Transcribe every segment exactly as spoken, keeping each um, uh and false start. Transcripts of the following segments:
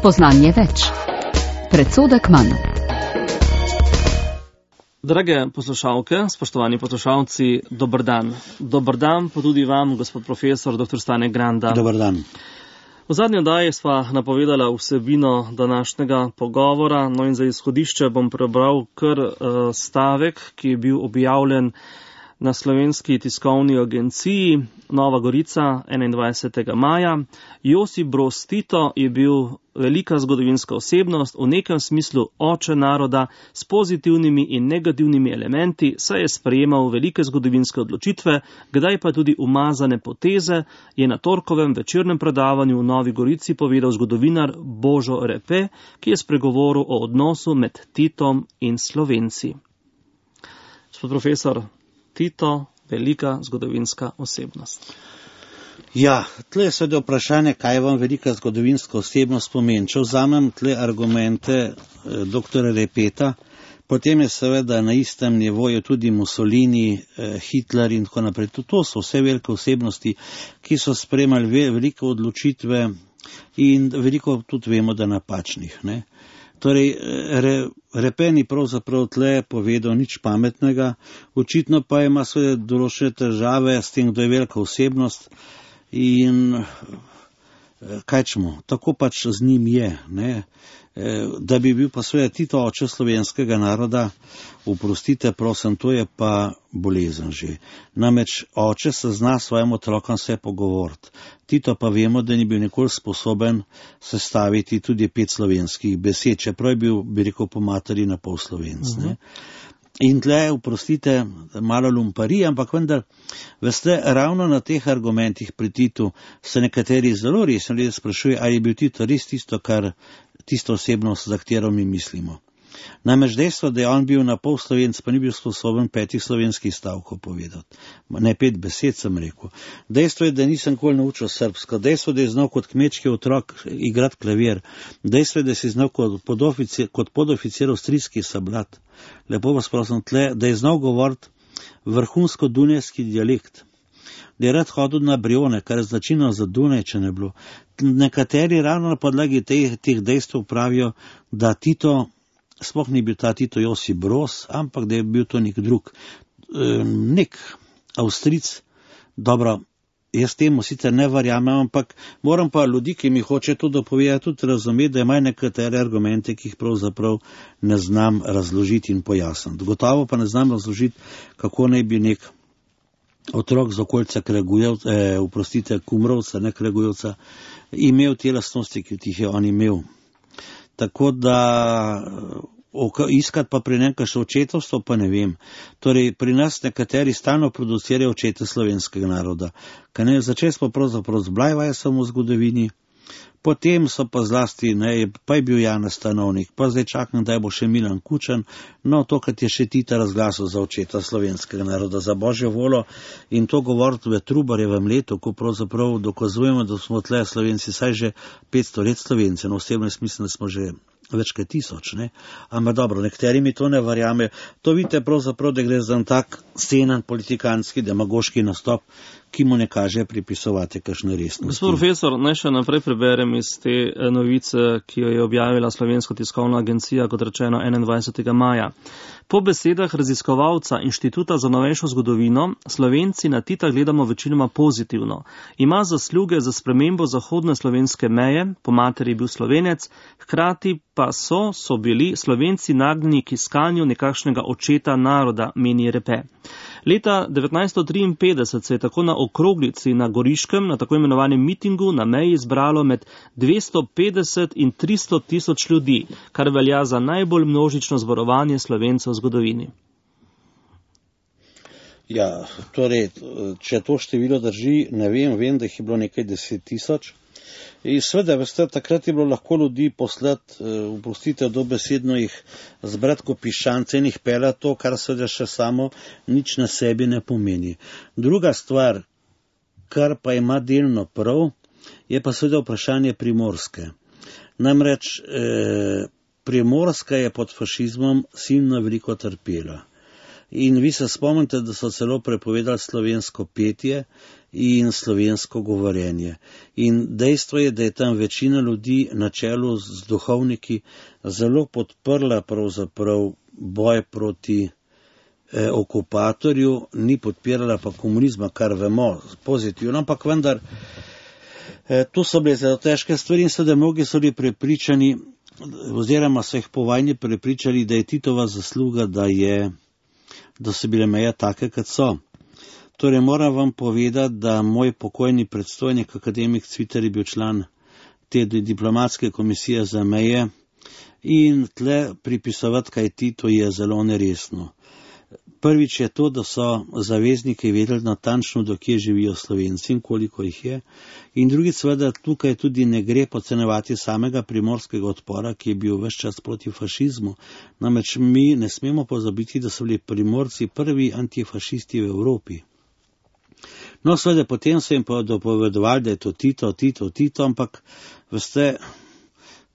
Spoznanje več. Predsodek manj. Drage poslušalke, spoštovani poslušalci, dober dan. Dober dan pa tudi vam, gospod profesor doktor Stane Granda. Dober dan. V zadnji oddaji sva napovedala vsebino današnjega pogovora, no in za izhodišče bom prebral kar uh, stavek, ki je bil objavljen na Slovenski tiskovni agenciji Nova Gorica enaindvajsetega maja. Josip Broz Tito je bil velika zgodovinska osebnost, v nekem smislu oče naroda, s pozitivnimi in negativnimi elementi, saj je sprejemal velike zgodovinske odločitve, kdaj pa tudi umazane poteze, je na torkovem večernem predavanju v Novi Gorici povedal zgodovinar Božo Repe, ki je spregovoril o odnosu med Titom in Slovenci. Gospod profesor, Tito, velika zgodovinska osebnost. Ja, tle je seveda vprašanje, kaj vam velika zgodovinska osebnost pomeni. Če vzamem tle argumente eh, doktora Repeta, potem je seveda na istem nivoju tudi Mussolini, eh, Hitler in tako naprej. To so vse velike osebnosti, ki so sprejemali ve, velike odločitve in veliko tudi vemo, da napačnih, ne. Torej, re, Repe ni pravzaprav tle povedal nič pametnega, očitno pa ima svoje določene težave s tem, kdo je velika osebnost in kaj čemo, tako pač z njim je, ne. Da bi bil pa svoje Tito oče slovenskega naroda, oprostite, prosim, to je pa bolezen že. Namreč oče se zna svojim otrokom vse pogovoriti. Tito pa vemo, da ni bil nikoli sposoben sestaviti tudi pet slovenskih besed, čeprav je bil, bi rekel, po materi na pol Slovenc, ne. In tle, oprostite, malo lumpari, ampak vendar, veste, ravno na teh argumentih pri Titu se nekateri zelo resno ljudje sprašujejo, ali je bil Tito res tisto, kar tisto osebnost, za katero mi mislimo. Namreč dejstvo, da je on bil na pol Slovenc, pa ni bil sposoben petih slovenskih stavkov povedati. Ne pet besed, sem rekel. Dejstvo je, da nisem nikoli naučil srbsko. Dejstvo, da je znal kot kmečki otrok igrati klavir. Dejstvo je, da si znal kot podoficir, kot podoficir avstrijski sablat. Lepo vas prosim tle, da je znal govoriti vrhunsko dunajski dialekt. Da je rad hodil na Brione, kar je značilno za Dunaj, če ne bilo. Nekateri ravno na podlagi teh, teh dejstev pravijo, da Tito sploh ni bil ta Tito Josip Broz, ampak da je bil to nek drug, nek Avstric. Dobro, jaz temu sicer ne verjamem, ampak moram pa ljudi, ki mi hoče to dopovedati, tudi razumeti, da imajo nekatere argumente, ki jih pravzaprav ne znam razložiti in pojasniti. Gotovo pa ne znam razložiti, kako naj bi nek otrok z okolice Kregujevca, eh, uprostite, Kumrovca, ne Kregujevca, imel te lastnosti, ki jih je on imel. Tako da iskati pa pri nekaj še očetovstvo, pa ne vem. Torej, pri nas nekateri stalno producirajo očete slovenskega naroda. Kaj ne, začeli smo pravzaprav z Blajvajsom v zgodovini, potem so pa zlasti, ne, pa je bil Janez Stanovnik, pa zdaj čakam, da bo še Milan Kučan, no, tokrat je še Tita razglasil za očeta slovenskega naroda, za božjo volo, in to govoriti v Trubarjevem letu, ko pravzaprav dokazujemo, da smo tle Slovenci saj že petsto let Slovenci, no osebno mislim, da smo že več kot tisoč, ne. Ampak dobro, nekateri mi to ne verjame. To vidite pravzaprav, da gre za en tak scenen politikanski, demagoški nastop, ki mu ne kaže pripisovati kakšne resnosti. Gospod profesor, naj še naprej preberem iz te novice, ki jo je objavila Slovenska tiskovna agencija, kot rečeno enaindvajsetega maja. Po besedah raziskovalca Inštituta za novejšo zgodovino, Slovenci na Tita gledamo večinoma pozitivno. Ima zasluge za spremembo zahodne slovenske meje, po materi je bil Slovenec, hkrati pa so, so bili Slovenci nagnjeni k iskanju nekakšnega očeta naroda, meni Repe. Leta devetnajststo triinpetdeset se je tako na okroglici na Goriškem, na tako imenovanem mitingu na meji zbralo med dvesto petdeset in tristo tisoč ljudi, kar velja za najbolj množično zborovanje Slovencev v zgodovini. Ja, torej, če to število drži, ne vem, vem, da jih je bilo nekaj deset tisoč. In seveda, veste, takrat je bilo lahko ljudi poslati, uprostite, dobesedno jih zbrati ko piščance in jih peljati to, kar seveda še samo nič na sebi ne pomeni. Druga stvar, kar pa ima delno prav, je pa seveda vprašanje Primorske. Namreč eh, Primorska je pod fašizmom silno veliko trpela. In vi se spomnite, da so celo prepovedali slovensko petje in slovensko govorjenje. In dejstvo je, da je tam večina ljudi na čelu z duhovniki zelo podprla pravzaprav boj proti eh, okupatorju, ni podpirala pa komunizma, kar vemo pozitivno, ampak vendar eh, tu so bile zelo težke stvari in seveda mnogi so bili prepričani, oziroma so jih po vojni prepričali, da je Titova zasluga, da, je, da so bile meje take, kot so. Torej moram vam povedati, da moj pokojni predstojnik, akademik Cviter, je bil član te diplomatske komisije za meje in tle pripisovati kaj Tito je zelo neresno. Prvič je to, da so zavezniki vedeli natančno, do kje živijo Slovenci in koliko jih je. In drugič seveda tukaj tudi ne gre podcenjevati samega primorskega odpora, ki je bil ves čas proti fašizmu. Namreč mi ne smemo pozabiti, da so bili Primorci prvi antifašisti v Evropi. No, seveda potem so jim pa dopovedovali, da je to Tito, Tito, Tito, ampak veste,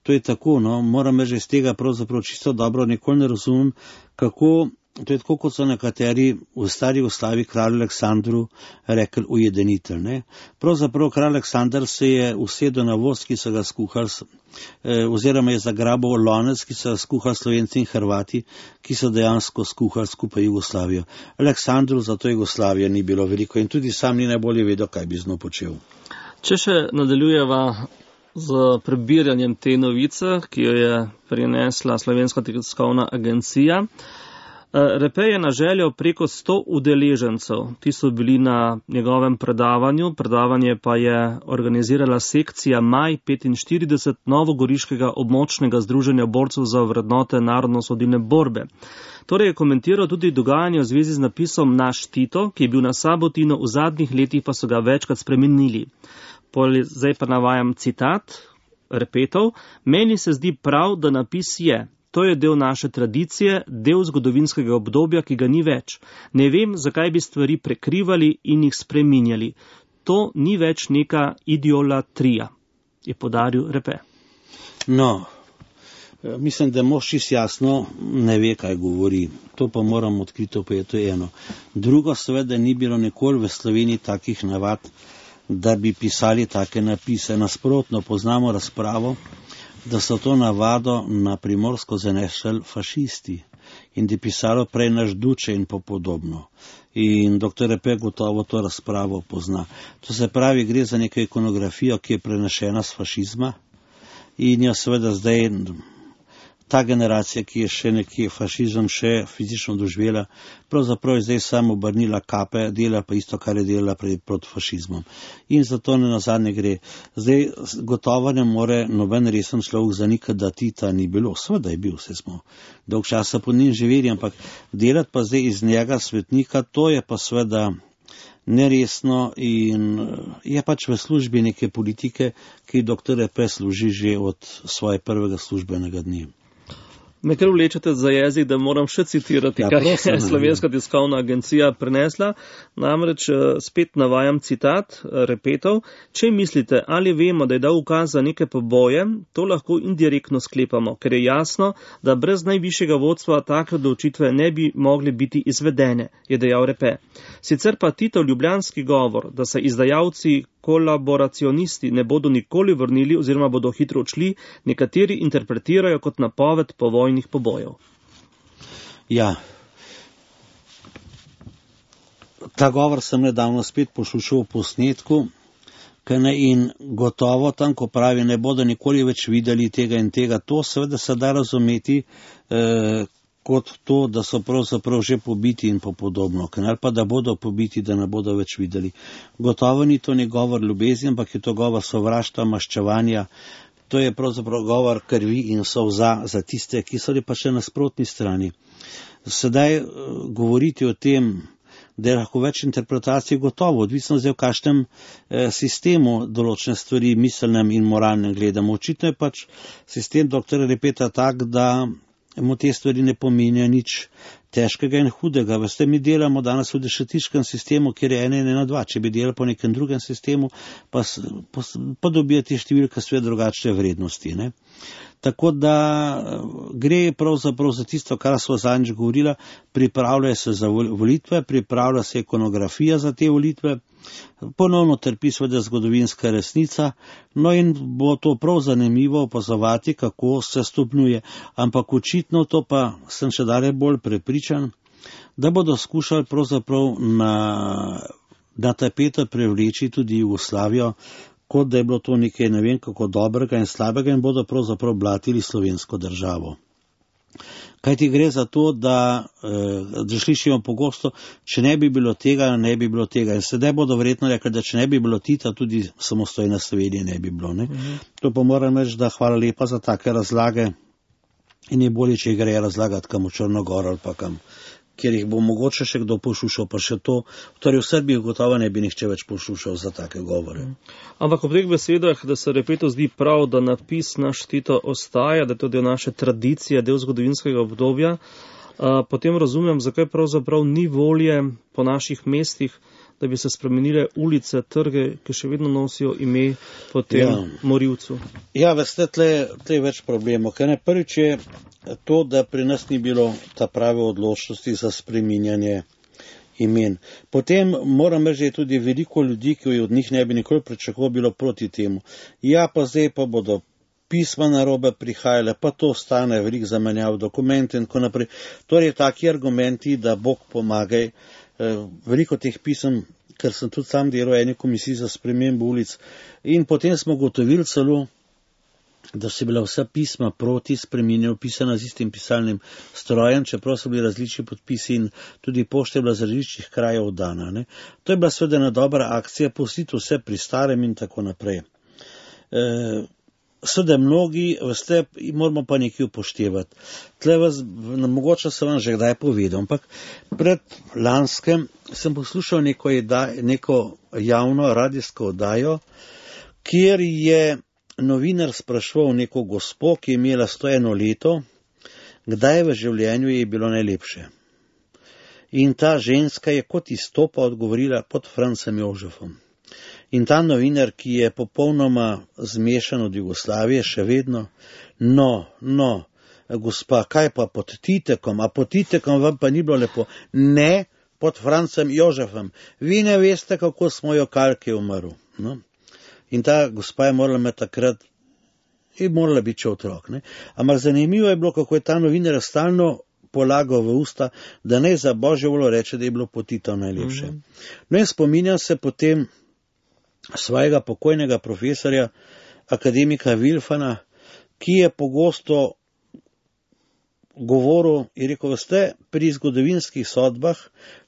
to je tako, no, moram reči, iz tega pravzaprav čisto dobro nikoli ne razumem, kako. To je tako, kot so nekateri v stari Jugoslaviji kralju Aleksandru rekli ujedenitelj. Ne? Pravzaprav kralj Aleksandar se je usedel na voz, ki so ga skuhali, eh, oziroma je zagrabil lonec, ki so ga skuhali Slovenci in Hrvati, ki so dejansko skuhali skupaj Jugoslavijo. Aleksandru za to Jugoslavija ni bilo veliko in tudi sam ni najbolje vedel, kaj bi z njo počel. Če še nadaljujeva z prebiranjem te novice, ki jo je prinesla Slovenska tiskovna agencija, Repe je na željo preko sto udeležencev, ti so bili na njegovem predavanju, predavanje pa je organizirala sekcija Maj petinštirideset Novogoriškega območnega združenja borcev za vrednote narodno-osvobodilne borbe. Torej je komentiral tudi dogajanje v zvezi z napisom Naš Tito, ki je bil na Sabotinu, v zadnjih letih pa so ga večkrat spremenili. Zdaj pa navajam citat Repetov: Meni se zdi prav, da napis je. To je del naše tradicije, del zgodovinskega obdobja, ki ga ni več. Ne vem, zakaj bi stvari prekrivali in jih spreminjali. To ni več neka ideolatrija, je podaril Repe. No, mislim, da mož čisto jasno ne ve, kaj govori. To pa moram odkrito povedati, to je eno. Drugo, seveda ni bilo nikoli v Sloveniji takih navad, da bi pisali take napise. Nasprotno, poznamo razpravo, da so to navado na Primorsko zanesli fašisti in da je pisalo prej naš Duče in po podobno. In doktor Repe gotovo to razpravo pozna. To se pravi, gre za neko ikonografijo, ki je prenešena s fašizma in jo seveda zdaj ta generacija, ki je še nekje fašizem še fizično doživela, pravzaprav je zdaj samo obrnila kape, dela pa isto, kar je delala proti fašizmom. In zato ne nazadnje gre. Zdaj gotovo ne more noben resen človek zanikati, da Tita ni bilo. Seveda je bil, vse smo dolg časa po njim živeli, ampak delati pa zdaj iz njega svetnika, to je pa seveda neresno in je pač v službi neke politike, ki doktor Repe služi že od svoje prvega službenega dne. Me kar vlečete za jezik, da moram še citirati, ja, kaj je Slovenska tiskovna agencija prenesla. Namreč spet navajam citat Repetov: Če mislite ali vemo, da je dal ukaz za neke poboje, to lahko indirektno sklepamo, ker je jasno, da brez najvišjega vodstva take odločitve ne bi mogli biti izvedene, je dejal Repe. Sicer pa Titov ljubljanski govor, da se izdajalci kolaboracionisti ne bodo nikoli vrnili oziroma bodo hitro odšli, nekateri interpretirajo kot napoved povojnih pobojev. Ja, ta govor sem nedavno spet poslušal v posnetku, in gotovo tam, ko pravi, ne bodo nikoli več videli tega in tega, to seveda se da razumeti eh, kot to, da so pravzaprav že pobiti in po podobno, ali pa da bodo pobiti, da ne bodo več videli. Gotovo ni to ni govor ljubezni, ampak je to govor sovraštva, maščevanja, to je pravzaprav govor krvi in solza za tiste, ki so pa še na nasprotni strani. Sedaj govoriti o tem, da je lahko več interpretacij, gotovo, odvisno zdaj v kakšnem eh, sistemu določene stvari miselnem in moralnem gledamo. Očitno je pač sistem doktorja Repeta tak, da mu te stvari ne pomenijo nič težkega in hudega. Veste, mi delamo danes v dešatiškem sistemu, kjer je ena in ena dva. Če bi delali po nekem drugem sistemu, pa, pa, pa dobijate številka sve drugačne vrednosti. Ne? Tako da gre pravzaprav za tisto, kar so zadnjič govorila, pripravljajo se za volitve, pripravlja se ikonografija za te volitve, ponovno trpi seveda zgodovinska resnica, no in bo to prav zanimivo opazovati, kako se stopnjuje. Ampak očitno to pa sem še dalje bolj prepričan, da bodo skušali pravzaprav na, na tapeto privleči tudi Jugoslavijo, kot da je bilo to nekaj ne vem kako dobrega in slabega in bodo pravzaprav blatili slovensko državo. Kaj ti gre za to, da, da slišimo pogosto, če ne bi bilo tega, ne bi bilo tega. In sedaj bodo verjetno rekli, da če ne bi bilo Tita, tudi samostojne Slovenije ne bi bilo. Ne? Mhm. To pa moram reči, da hvala lepa za take razlage in je bolje, če gre razlagati kam v Črnogor ali pa kam, kjer jih bo mogoče še kdo poslušal, pa še to, torej v Srbiji gotovo ne bi nihče več poslušal za take govore. Ampak ob teh besedah, da se Repetu zdi prav, da napis naš Tito ostaja, da je to del naše tradicije, del zgodovinskega obdobja, a, potem razumem, zakaj pravzaprav ni volje po naših mestih, da bi se spremenile ulice, trge, ki še vedno nosijo ime po tem ja. morilcu. Ja, veste, tle, tle je več problemov, ker ne prvič je to, da pri nas ni bilo ta prave odločnosti za spreminjanje imen. Potem moram reči, da je tudi veliko ljudi, ki od njih ne bi nikoli pričakoval, bilo proti temu. Ja, pa zdaj pa bodo pisma narobe prihajale, pa to stane veliko zamenjav dokumente in tako naprej. Torej, taki argumenti, da Bog pomagaj, veliko teh pisem, ker sem tudi sam delal eni komisiji za spremembo ulic in potem smo gotovili celo, da so bila vsa pisma proti spreminjanju pisana z istim pisalnim strojem, čeprav so bili različni podpisi in tudi pošta je bila z različnih krajev dana. Ne. To je bila seveda ena dobra akcija, pustiti vse pri starem in tako naprej. E, Seveda mnogi, veste, moramo pa nekaj upoštevati. Tle vas, mogoče sem vam že kdaj povedal, ampak pred lanskem sem poslušal neko, neko javno radijsko oddajo, kjer je novinar spraševal neko gospo, ki je imela sto eno leto, kdaj v življenju je bilo najlepše. In ta ženska je kot izstopa odgovorila pod Francem Jožefom. In ta novinar, ki je popolnoma zmešan od Jugoslavije, še vedno, no, no, gospa, kaj pa pod Titekom, a pod Titekom vam pa ni bilo lepo? Ne, pod Francem Jožefom. Vi ne veste, kako smo jo kalke umrl. No? In ta gospa je morala imeti takrat, je morala biti še otrok. Ne? Ampak zanimivo je bilo, kako je ta novinar stalno polagal v usta, da ne za Božjo voljo reče, da je bilo pod Titom najlepše. Mm-hmm. No in spominjam se potem svojega pokojnega profesorja, akademika Vilfana, ki je pogosto govoril in rekel, veste, pri zgodovinskih sodbah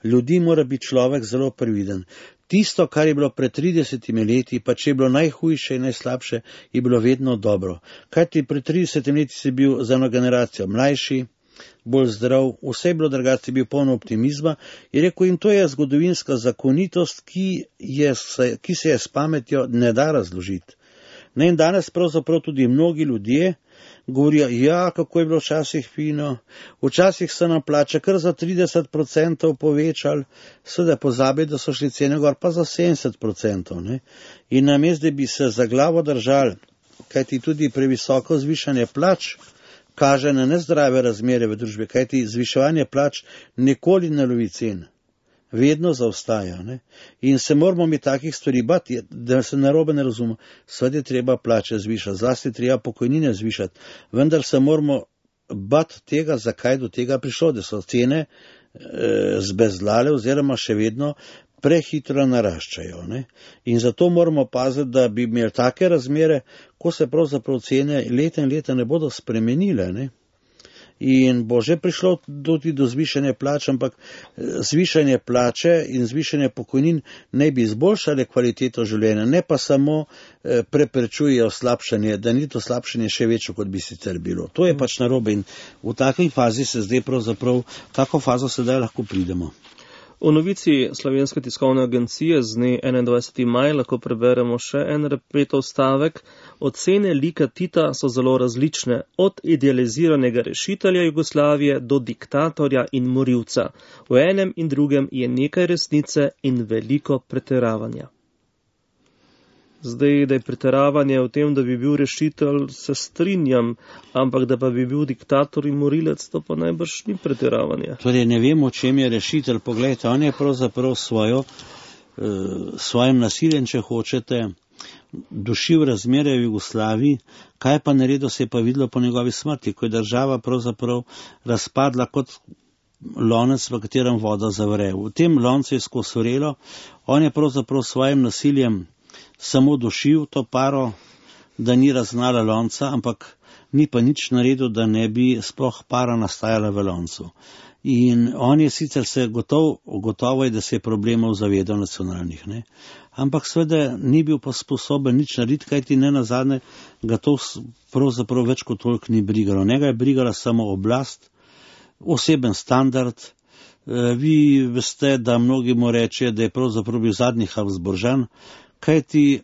ljudi mora biti človek zelo previden. Tisto, kar je bilo pred tridesetimi leti, pa če je bilo najhujše in najslabše, je bilo vedno dobro. Kajti pred tridesetimi leti si bil za eno generacijo mlajši, bolj zdrav, vse je bilo drugače, bil polno optimizma. Je rekel, in to je zgodovinska zakonitost, ki, je, ki se je s pametjo ne da razložiti. Ne, in danes pravzaprav tudi mnogi ljudje govorijo, ja, kako je bilo včasih fino, včasih se nam plača kar za trideset procentov povečali, seveda pozabi, da so šli cene gor pa za sedemdeset procentov. Ne? In namesto, da bi se za glavo držali, kajti tudi previsoko zvišanje plač kaže na nezdrave razmere v družbi, kajti zviševanje plač nikoli ne lovi cen, vedno zaostaja. Ne? In se moramo mi takih stvari bati, da se narobe ne razume. Seveda je treba plače zvišati, zlasti treba pokojnine zvišati, vendar se moramo bati tega, zakaj do tega prišlo, da so cene e, zbezlale oziroma še vedno prehitro naraščajo. Ne? In zato moramo paziti, da bi imeli take razmere, ko se pravzaprav cene leta in leta ne bodo spremenile. Ne? In bo že prišlo tudi do zvišanja plač, ampak zvišanje plače in zvišanje pokojnin ne bi izboljšale kvaliteto življenja, ne pa samo preprečujejo slabšanje, da ni to slabšanje še večje, kot bi sicer bilo. To je pač narobe in v takej fazi se zdaj pravzaprav, kako fazo sedaj lahko pridemo. V novici Slovenske tiskovne agencije z dne enaindvajseti maj lahko preberemo še en Repetov stavek. Ocene lika Tita so zelo različne, od idealiziranega rešitelja Jugoslavije do diktatorja in morilca. V enem in drugem je nekaj resnice in veliko pretiravanja. Zdaj, da je pretiravanje v tem, da bi bil rešitelj, se strinjam, ampak da pa bi bil diktator in morilec, to pa najbrž ni pretiravanje. Torej, ne vem, o čem je rešitelj. Poglejte, on je pravzaprav svojo, eh, svojim nasiljem, če hočete, dušil razmere v Jugoslaviji, kaj pa naredil, se je pa videlo po njegovi smrti, ko je država pravzaprav razpadla kot lonec, v katerem voda zavre. V tem loncu je skozi vrelo, on je pravzaprav svojim nasiljem samo dušil to paro, da ni raznala lonca, ampak ni pa nič naredil, da ne bi sploh para nastajala v loncu. In on je sicer se gotov, gotovo je, da se je problemov zavedal nacionalnih, ne? Ampak seveda ni bil pa sposoben nič narediti, kajti ne nazadnje ga to pravzaprav več kot toliko ni brigalo. Njega je brigala samo oblast, oseben standard. Vi veste, da mnogi mu rečejo, da je pravzaprav bil zadnji Habsburžan, kajti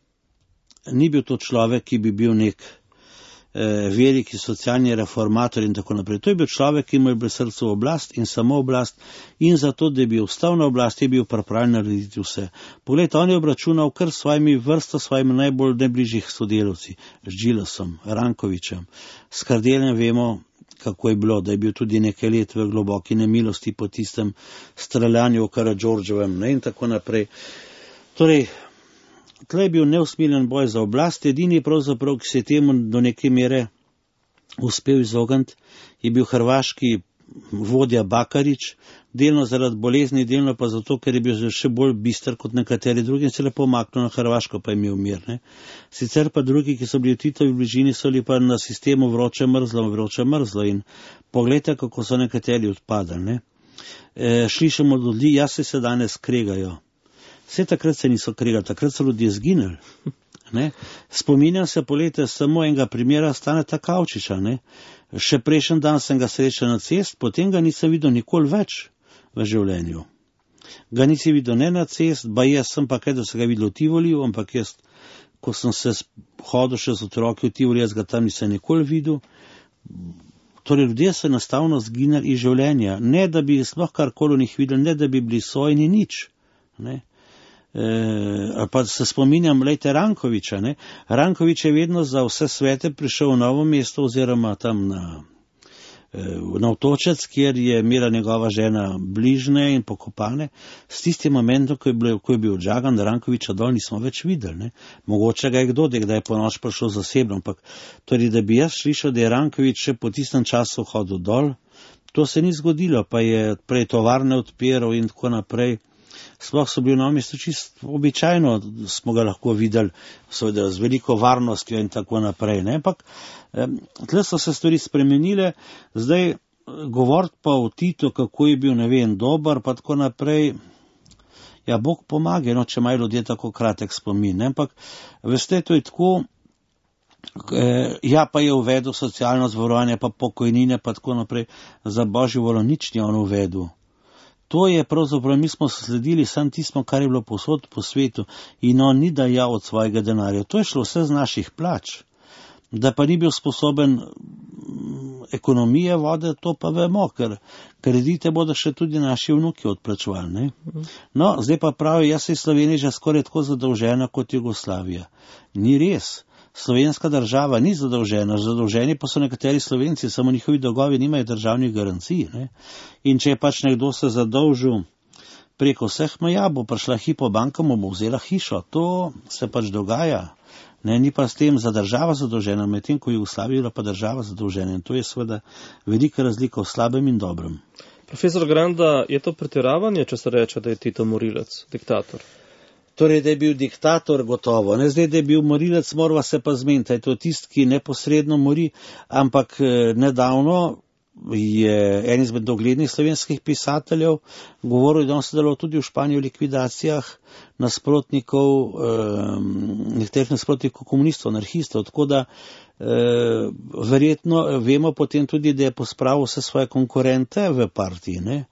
ni bil to človek, ki bi bil nek eh, veliki socialni reformator in tako naprej. To je bil človek, ki mu je bil srcu oblast in samo oblast, in zato, da bi ostal na oblasti, je bil pripravljen narediti vse. Poglejte, on je obračunal kar svojimi vrsto, svojimi najbolj najbližjih sodelavci, z Džilasom, Rankovićem, s Kardeljem vemo, kako je bilo, da je bil tudi nekaj let v globoki nemilosti po tistem streljanju v Karadžordževem, ne, in tako naprej. Torej, tle je bil neusmiljen boj za oblast, edini pravzaprav, ki se je temu do neke mere uspel izogniti, je bil hrvaški vodja Bakarić, delno zaradi bolezni, delno pa zato, ker je bil še bolj bister kot nekateri drugi in se lepo maknil na Hrvaško, pa je imel mir. Ne? Sicer pa drugi, ki so bili v Titovi bližini, so bili pa na sistemu vroče mrzlo, vroče mrzlo in pogledajte, kako so nekateri odpadali. Ne? E, slišimo od ljudi, ja se se danes kregajo. Vse takrat se niso kregali, takrat so ljudje zginili. Ne? Spominjam se po leta samo enega primera Staneta Kavčiča. Ne? Še prejšnji dan sem ga srečal na cest, potem ga nisem videl nikoli več v življenju. Ga nisi videl ne na cest, ba jaz sem pa kaj, da se ga videl v Tivoliju, ampak jaz, ko sem se hodil še z otroki v Tivoli, jaz ga tam nisem nikoli videl. Torej, ljudje so enostavno zginili iz življenja, ne da bi sploh karkoli njih videli, ne da bi bili sojni nič. Ne? E, pa se spominjam, lejte, Rankovića, ne? Ranković je vedno za vse svete prišel v Novo mesto oziroma tam na, na Otočec, kjer je imela njegova žena bližne in pokopane. S tistim momentom, ko je, bil, ko je bil odžagan, da Rankovića dol nismo več videli. Ne? Mogoče ga je kdo, da je po noč prišel zasebno, ampak torej, da bi jaz slišal, da je Ranković še po tistem času hodil dol, to se ni zgodilo, pa je prej tovarne odpiral in tako naprej. Sploh so bili v Novem mestu čisto običajno, smo ga lahko videli, seveda z veliko varnostjo in tako naprej. Ne? Ampak tle so se stvari spremenile, zdaj govoriti pa o Titu, kako je bil, ne vem, dober, pa tako naprej, ja, Bog pomaga, no, če imajo ljudje tako kratek spomin. Ne? Ampak, veste, to je tako, ja, pa je uvedel socialno zavarovanje, pa pokojnine, pa tako naprej, za božjo voljo nič ni on uvedel. To je pravzaprav, mi smo sledili sam tismo, kar je bilo posod po svetu in on ni dajal od svojega denarja. To je šlo vse z naših plač. Da pa ni bil sposoben ekonomije vode, to pa vemo, ker kredite bodo še tudi naši vnuki odplačevali. Ne? No, zdaj pa pravi, jaz se iz Slovenije že skoraj tako zadolžena kot Jugoslavija. Ni res. Slovenska država ni zadolžena, zadolženi pa so nekateri Slovenci, samo njihovi dolgovi nimajo državnih garancij. Ne? In če je pač nekdo se zadolžil preko vseh meja, bo prišla Hypo banka, mu bo vzela hišo. To se pač dogaja. Ne? Ni pa s tem za država zadolžena, medtem ko je Jugoslavija pa država zadolžena. In to je seveda velika razlika v slabem in dobrem. Profesor Granda, je to pretiravanje, če se reče, da je Tito morilec, diktator? Torej, da je bil diktator, gotovo. Ne zdaj, da je bil morilec, morava se pa zmeniti. To je tist, ki neposredno mori, ampak nedavno je en izmed doglednih slovenskih pisateljev govoril, da on sodeloval tudi v Španiji v likvidacijah nasprotnikov, eh, nekaterih nasprotnikov komunistov, anarhistov, tako da eh, verjetno vemo potem tudi, da je pospravil vse svoje konkurente v partiji, ne.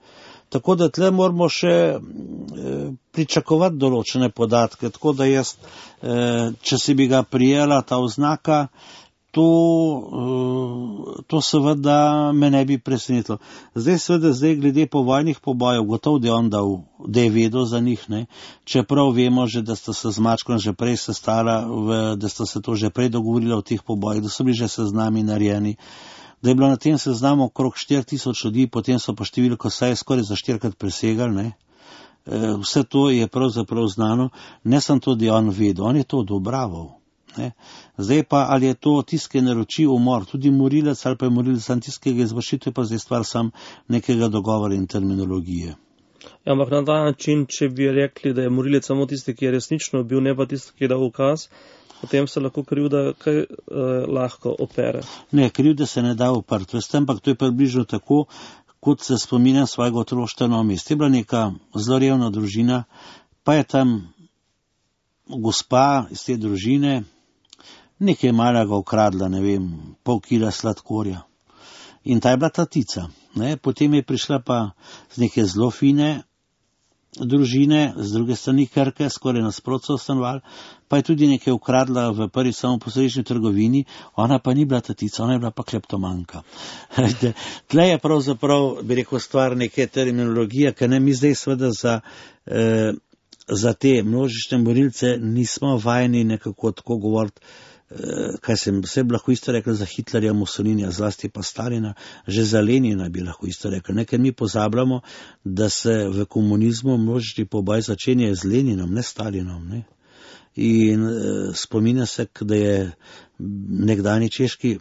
Tako da tle moramo še pričakovati določene podatke, tako da jaz, če si bi ga prijela ta oznaka, to, to seveda me ne bi presenetilo. Zdaj seveda, zdaj glede povojnih pobojev, gotovo, da je on dal, da je vedel za njih, ne, čeprav vemo že, da sta se z Mačkom že prej sestala, v, da sta se to že prej dogovorila o teh pobojih, da so bili že seznami narejeni, da je bilo na tem seznamu okrog štiri tisoč ljudi, potem so pa številko saj skoraj za štirikrat presegali, ne. Vse to je pravzaprav znano, ne sem to, da je on vedel, on je to odobraval. Ne. Zdaj pa, ali je to tisti, ki naroči umor, tudi morilec ali pa je morilec sam tisti, ki ga izvrši, to je pa zdaj stvar sam nekega dogovora in terminologije. Ja, ampak na ta način, če bi rekli, da je morilec samo tisti, ki je resnično bil, ne pa tisti, ki je dal ukaz, potem se lahko krivda kaj eh, lahko opere. Ne, krivda se ne da oprti, veste, ampak to je približno tako, kot se spominjam svojega otroštva na mest. Je bila neka zelo revna družina, pa je tam gospa iz te družine nekaj malega ukradla, ne vem, pol kila sladkorja. In ta je bila tatica. Ne? Potem je prišla pa z neke zelo fine družine, z druge strani Krke, skoraj nasprotno stanoval, pa je tudi nekaj ukradla v prvi samoposrečni trgovini, ona pa ni bila tatica, ona je bila pa kleptomanka. Tle je pravzaprav, bi rekel, stvar neke terminologije, ker ne mi zdaj seveda za, eh, za te množične morilce nismo vajeni nekako tako govoriti, kaj sem vse lahko isto rekel za Hitlerja, Mussolinija, zlasti pa Stalina, že za Lenina bi lahko isto rekel. Ne, ker mi pozabljamo, da se v komunizmu množični poboj začenja z Leninom, ne Stalinom. Ne. In eh, spominja se, da je nekdani češki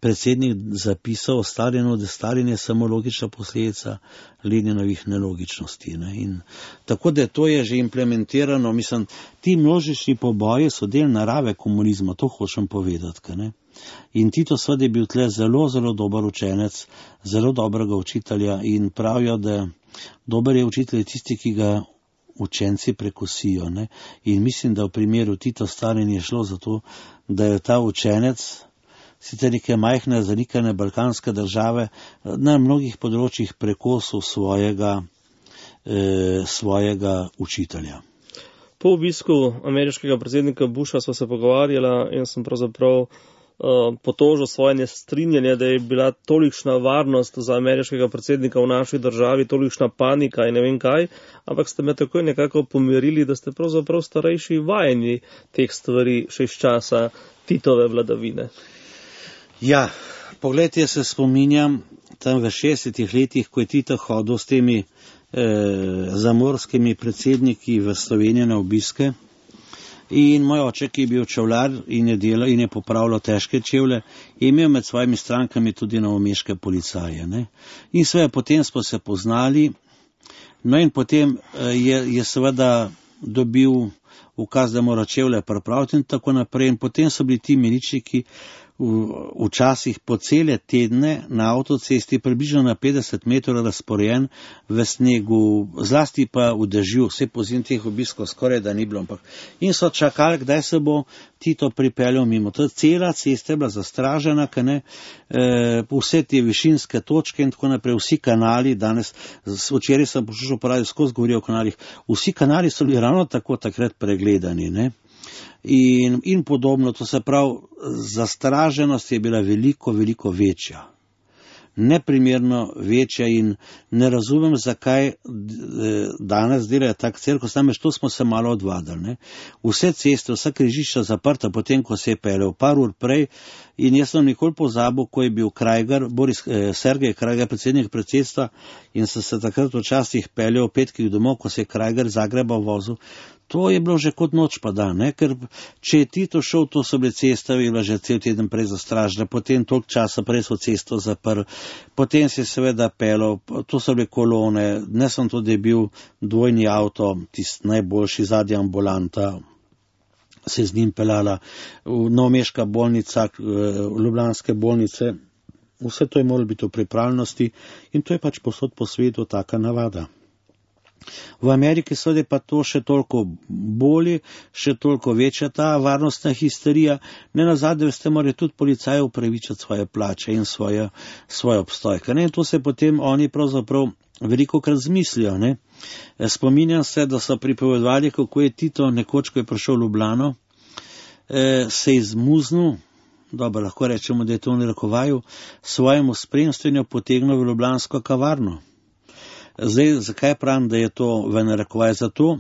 predsednik zapisal o Stalinu, da Stalin je samo logična posledica Leninovih nelogičnosti. Ne. In tako da to je že implementirano, mislim, ti množični poboji so del narave komunizma, to hočem povedati. Ne. In Tito seveda je bil tle zelo, zelo dober učenec, zelo dobrega učitelja in pravijo, da dober je učitelj tisti, ki ga učenci prekosijo. Ne. In mislim, da v primeru Tito Stalin je šlo za to, da je ta učenec sicer neke majhne, zanikane balkanske države na mnogih področjih prekosil svojega, eh, svojega učitelja. Po obisku ameriškega predsednika Busha sva se pogovarjala in sem pravzaprav uh, potožil svoje nestrinjanje, da je bila tolikšna varnost za ameriškega predsednika v naši državi, tolikšna panika in ne vem kaj, ampak ste me takoj nekako pomirili, da ste pravzaprav starejši vajeni teh stvari še iz časa Titove vladavine. Ja, pogledajte, se spominjam tam v šestdesetih letih, ko je Tito hodil s temi eh, zamorskimi predsedniki v Slovenijo na obiske. In moj oče, ki je bil čevljar in je delal in je popravljal težke čevlje, je imel med svojimi strankami tudi novomeške policaje. Ne? In seveda potem smo se poznali, no in potem eh, je, je seveda dobil ukaz, da mora čevlje pripraviti in tako naprej. In potem so bili ti miličniki včasih po cele tedne na avtocesti približno na petdeset metrov razporejen v snegu, zlasti pa v dežju, vse pozim teh obiskov skoraj da ni bilo, ampak in so čakali, kdaj se bo Tito pripeljal mimo. To cela cesta je bila zastražena, ker ne, e, vse te višinske točke in tako naprej, vsi kanali, danes, včeraj sem poslušal pravi, skozi govorijo o kanalih, vsi kanali so bili ravno tako takrat pregledani, ne. In, in podobno, to se pravi, zastraženost je bila veliko, veliko večja. Neprimerno večja in ne razumem, zakaj danes delajo tak cirkus, namreč to smo se malo odvadili. Ne? Vse ceste, vsa križišča zaprta, potem, ko se je peljal par ur prej, in jaz sem nikoli pozabil, ko je bil Krajgar, Boris, eh, Sergej Krajgar, predsednik predsedstva, in sem se takrat včasih peljal v petkih domov, ko se je Krajgar Zagreba vozil. To je bilo že kot noč pa dan, ne? Ker če je Tito šel, to so bile ceste, je bila že cel teden prej zastražena, potem toliko časa prej so cesto zaprli, potem se je seveda pelo, to so bile kolone, ne sem to, da je bil dvojni avto, tisti najboljši zadnji ambulanta, se z njim pelala, novomeška bolnica, ljubljanske bolnice, vse to je moralo biti v pripravljenosti in to je pač posod po svetu taka navada. V Ameriki seveda pa to še toliko bolje, še toliko večja ta varnostna histerija. Ne nazadnje, veste, morajo tudi policaji upravičiti svoje plače in svoje, svoje obstoj. Ne? In to se potem oni pravzaprav veliko krat zmislijo. Ne? Spominjam se, da so pripovedovali, kako je Tito nekoč, ko je prišel v Ljubljano, eh, se izmuznil, dobro, lahko rečemo, da je to v narekovaju, svojemu spremstvenju potegnil v ljubljansko kavarno. Zdaj, zakaj pravim, da je to v narekovaj? Zato,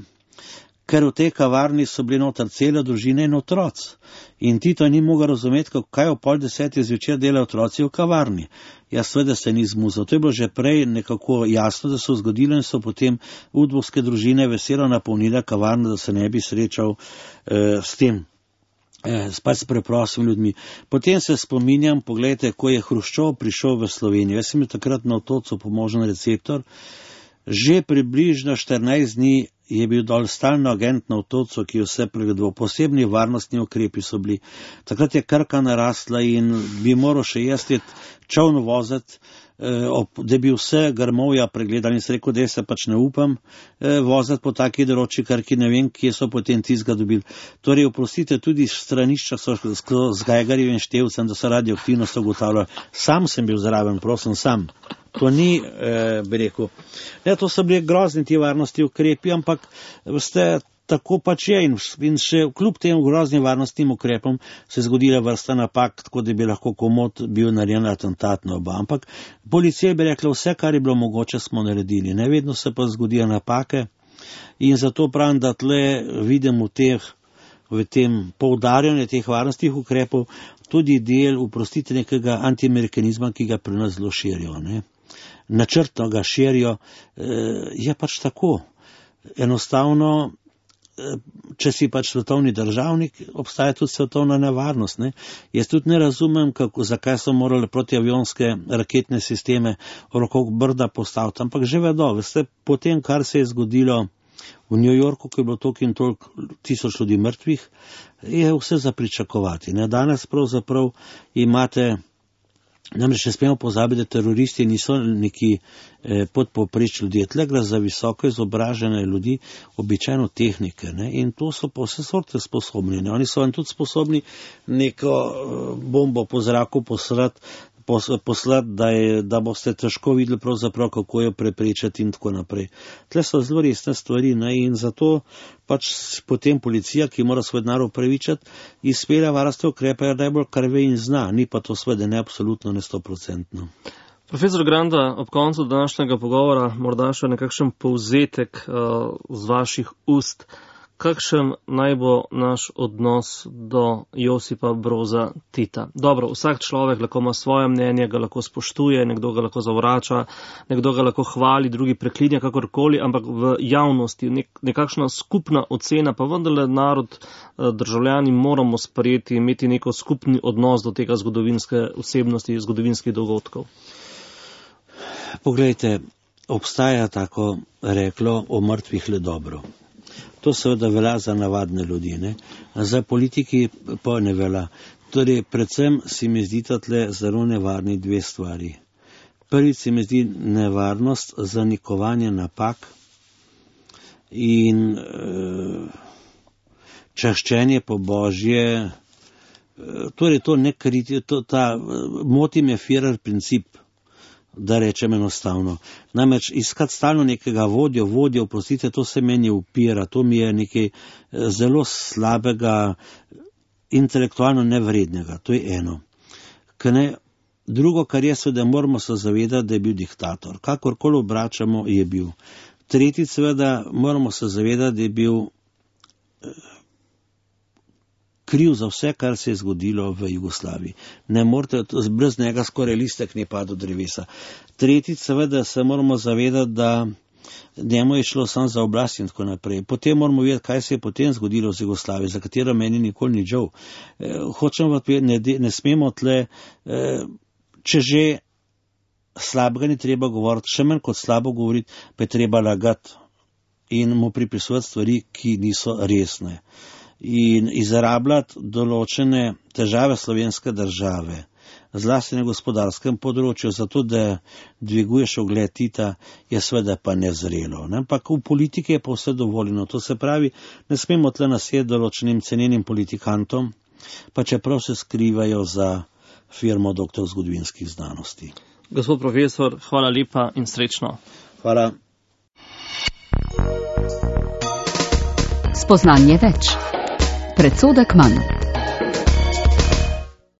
ker v tej kavarni so bili noter cele družine in otroci. In Tito ni mogel razumeti, kaj o pol desetih zvečer delajo otroci v kavarni. Jaz seveda se ni zmuzal. To je bilo že prej nekako jasno, da so zgodilo in so potem udbovske družine veselo napolnile kavarno, da se ne bi srečal eh, s tem. Spet s preprostimi ljudmi. Potem se spominjam, pogledajte, ko je Hruščov prišel v Slovenijo. Jaz sem bil takrat na Otocu pomožen receptor. Že približno štirinajst dni je bil dol stalno agent na Otocu, ki je vse pregledoval. Posebni varnostni ukrepi so bili. Takrat je Krka narasla in bi moral še jaz čovn voziti, da bi vse grmovja pregledali in se rekel, da se pač ne upam voziti po taki deroči Krki, ne vem, kje so potem tizga dobili. Torej, oprostite, tudi stranišča so z Geigerjevim števcem, da so radioaktivnost ugotavljali. Sam sem bil zraven, prosim, sam. To ni, eh, bi rekel, ne, to so bili grozni ti varnosti ukrepi, ampak veste, tako pač je in, in še kljub tem groznim varnostnim ukrepom se je zgodila vrsta napak, tako da bi lahko komot bil narejen atentat na oba. Ampak policija bi rekla, vse, kar je bilo mogoče, smo naredili. Ne vedno se pa zgodijo napake in zato pravim, da tle vidim v, teh, v tem poudarjanju teh varnostnih ukrepov tudi del, oprostite, nekega antiamerikanizma, ki ga pri nas zelo širijo. Ne? Načrtno ga širijo, je pač tako. Enostavno, če si pač svetovni državnik, obstaja tudi svetovna nevarnost. Ne? Jaz tudi ne razumem, kako, zakaj so morali protiavionske raketne sisteme okrog Brda postaviti, ampak že vedo, veste, potem, kar se je zgodilo v New Yorku, ko je bilo toliko in toliko tisoč ljudi mrtvih, je vse za pričakovati. Ne? Danes pravzaprav imate, namreč ne smemo pozabiti, da teroristi niso neki eh, podpovpreč ljudje, tle gre za visoko izobražene ljudi, običajno tehnike, ne? In to so pa vse sorte sposobni. Ne? Oni so vam tudi sposobni neko eh, bombo po zraku poslati, poslati, da, je, da boste težko videli pravzaprav, kako jo preprečati in tako naprej. Tle so zelo resne stvari, ne? In zato pač potem policija, ki mora svoj denar upravičati, izpelja varnostne ukrepe najbolj kar ve in zna, ni pa to sveda ne absolutno, ne stoprocentno. Profesor Granda, ob koncu današnjega pogovora morda še nekakšen povzetek uh, z vaših ust. Kakšen naj bo naš odnos do Josipa Broza Tita? Dobro, vsak človek lahko ima svoje mnenje, ga lahko spoštuje, nekdo ga lahko zavrača, nekdo ga lahko hvali, drugi preklinja, kakorkoli, ampak v javnosti nek, nekakšna skupna ocena, pa vendarle narod, državljani moramo sprejeti, imeti neko skupni odnos do tega zgodovinske osebnosti, zgodovinskih dogodkov. Poglejte, obstaja tako reklo o mrtvih le dobro. To seveda velja za navadne ljudi, ne? Za politiki pa ne velja. Torej, predvsem si mi zdita tle zelo nevarni dve stvari. Prvič se mi zdi nevarnost zanikovanja napak in e, čaščenje po Božje, e, torej to ne kriti, to, ta, moti me Führer princip, da rečem enostavno. Namreč iskati stalno nekega vodjo, vodjo, oprostite, to se meni upira, to mi je nekaj zelo slabega, intelektualno nevrednega, to je eno. Ne, drugo, kar je seveda, moramo se zavedati, da je bil diktator. Kakorkoli obračamo, je bil. Tretjič, seveda, moramo se zavedati, da je bil kriv za vse, kar se je zgodilo v Jugoslaviji. Ne morete, brez njega skoraj listek ne pada od drevesa. Tretjič, seveda, se moramo zavedati, da njemu je šlo samo za oblast in tako naprej. Potem moramo vedeti, kaj se je potem zgodilo z Jugoslavijo, za katero meni nikoli ni žal. E, hočemo vedeti, ne, ne smemo tle, e, če že slabega ni treba govoriti, še manj kot slabo govoriti, pa je treba lagati in mu pripisovati stvari, ki niso resne. In izrabljati določene težave slovenske države zlasti na gospodarskem področju, zato da dviguješ ugled Tita, je seveda pa nezrelo. Ne? Ampak v politiki je pa vse dovoljeno. To se pravi, ne smemo tle nasjeti določenim cenenim politikantom, pa čeprav se skrivajo za firmo doktor zgodovinskih znanosti. Gospod profesor, hvala lepa in srečno. Hvala. Spoznanje več. Predsodek manj.